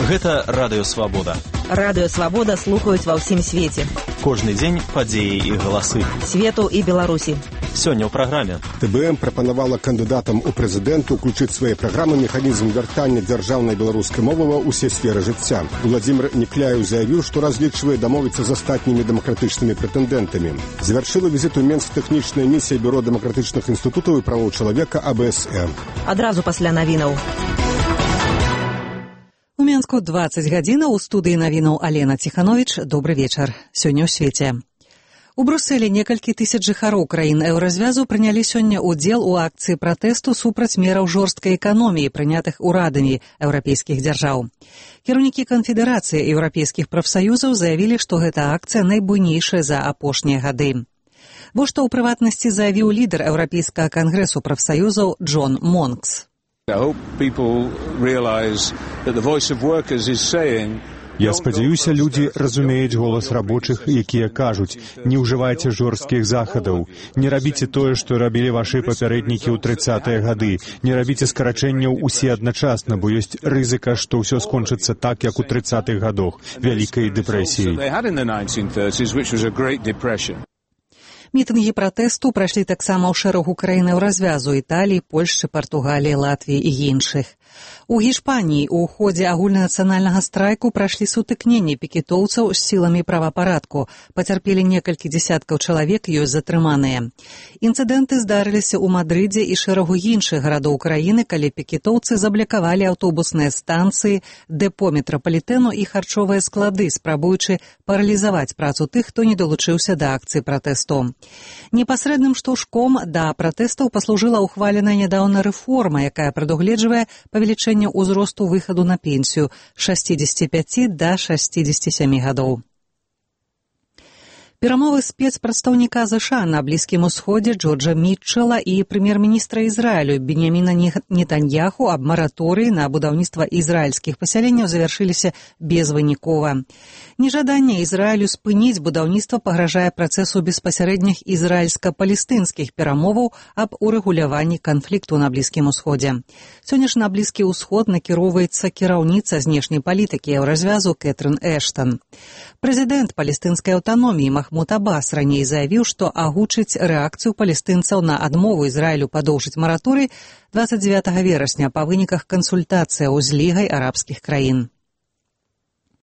Гэта Радыё Свабода. Радыё Свабода слухаюць ва ўсім свеце. Кожны дзень падзеі і галасы. Свету і Беларусі. Сёння ў праграме. ТБМ прапанавала кандыдатам у прэзідэнту ўключыць свае праграмы механізм вяртання дзяржаўнай беларускай мовы ва ўсе сферы жыцця. Владзімир Некляеў заявіў, што разлічвае дамовіцца з астатнімі дэмакратычнымі прэтэндэнтамі. Завяршыла візіт у Менск тэхнічная місія Бюро дэмакратычных інстытутаў і правоў чалавека АБСМ. Адразу пасля навінаў. У Менску 20 гадзінаў, у студыі навінаў Алена Ціхановіч. Добры вечар. Сёння ў свеце. У Брусэлі некалькі тысяч жыхароў краін еўразвязу прынялі сёння ўдзел у акцыі пратэсту супраць мераў жорсткай эканоміі, прынятых урадамі еўрапейскіх дзяржаў. Кіраўнікі канфедэрацыі еўрапейскіх прафсаюзаў заявілі, што гэта акцыя найбуйнейшая за апошнія гады. Вось што ў прыватнасці заявіў лідар еўрапейскага кангрэсу прафсаюзаў Джон Монкс. Я спадзяюся, людзі разумеюць голас рабочых, якія кажуць: не ўжывайце жорсткіх захадаў, не рабіце тое, што рабілі вашы папярэднікі ў 30-е гады, не рабіце скарачэнняў усе адначасна, бо ёсць рызыка, што ўсё скончыцца так, як у 30-х гадах, вялікай дэпрэсіяй. Мітынгі пратэсту прайшлі таксама ў шэрагу краін еўразвязу: Італіі, Польшчы, Партугаліі, Латвіі і іншых. У Гішпаніі ў ходзе агульнанацыянальнага страйку прайшлі сутыкненні пікетоўцаў з сіламі правапарадку. Пацярпелі некалькі дзесяткаў чалавек, ёсць затрыманыя. Інцыдэнты здарыліся ў Мадрыдзе і шэрагу іншых гарадоў краіны, калі пікетоўцы заблакавалі аўтобусныя станцыі, дэпо метрапалітэну і харчовыя склады, спрабуючы паралізаваць працу тых, хто не далучыўся да акцыі пратэсту. Непасрэдным штуршком да пратэстаў паслужыла ухваленая нядаўна рэформа, якая прадугледжвае павелічэнне ўзросту выхаду на пенсію з 65 да 67 гадоў. Перамовы спецпрадстаўніка ЗША на Блізкім Усходзе Джорджа Мітчэла і прэм'ер-міністра Ізраілю Беньяміна Нетаньяху аб мараторыі на будаўніцтва ізраільскіх пасяленняў завяршыліся безвынікова. Нежаданне Ізраілю спыніць будаўніцтва пагражае працэсу беспасярэдніх ізраільска-палестынскіх перамоваў аб урэгуляванні канфлікту на Блізкім Усходзе. Сёння ж на Блізкі Ўсход накіроўваецца кіраўніца знешняй палітыкі еўразвязу Кэтрын Эштан. Прэзідэнт палестынскай аўтаноміі Махмуд Аббас раней заявіў, што агучыць рэакцыю палестынцаў на адмову Ізраілю падоўжыць мараторый 29 верасня па выніках кансультацыяў з Лігай арабскіх краін.